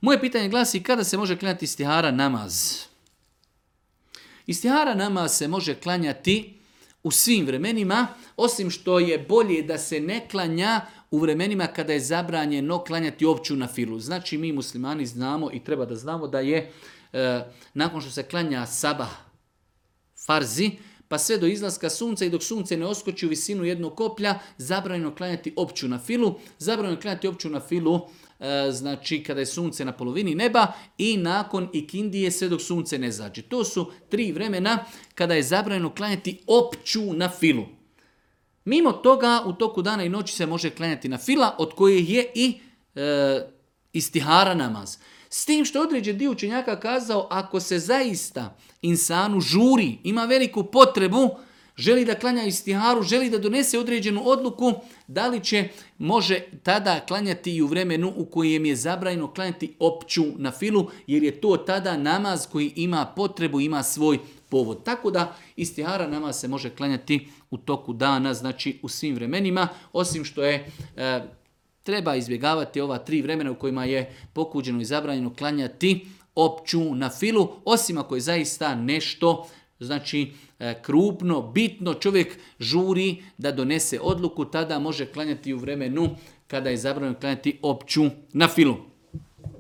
Moje pitanje glasi kada se može klanjati istihara namaz? Istihara namaz se može klanjati u svim vremenima, osim što je bolje da se ne klanja u vremenima kada je zabranjeno klanjati opću nafilu. Znači mi muslimani znamo i treba da znamo da je nakon što se klanja sabah farzi, pa sve do izlaska sunca i dok sunce ne oskoči u visinu jednog koplja, zabranjeno klanjati opću nafilu. Zabranjeno klanjati opću nafilu znači kada je sunce na polovini neba i nakon ikindije sve dok sunce ne zađe. To su 3 vremena kada je zabranjeno klanjati opću nafilu. Mimo toga u toku dana i noći se može klanjati nafila od koje je i istihara namaz. S tim što je određen dio učenjaka kazao ako se zaista insanu žuri, ima veliku potrebu, želi da klanja istiharu, želi da donese određenu odluku, da li može tada klanjati i u vremenu u kojem je zabranjeno klanjati opću nafilu, jer je to tada namaz koji ima potrebu, ima svoj povod. Tako da istihara namaz se može klanjati u toku dana, znači u svim vremenima, osim što je treba izbjegavati ova 3 vremena u kojima je pokuđeno i zabranjeno klanjati opću nafilu, osim ako je zaista nešto znači krupno, bitno, čovjek žuri da donese odluku, tada može klanjati u vremenu kada je zabranjeno klanjati opću nafilu.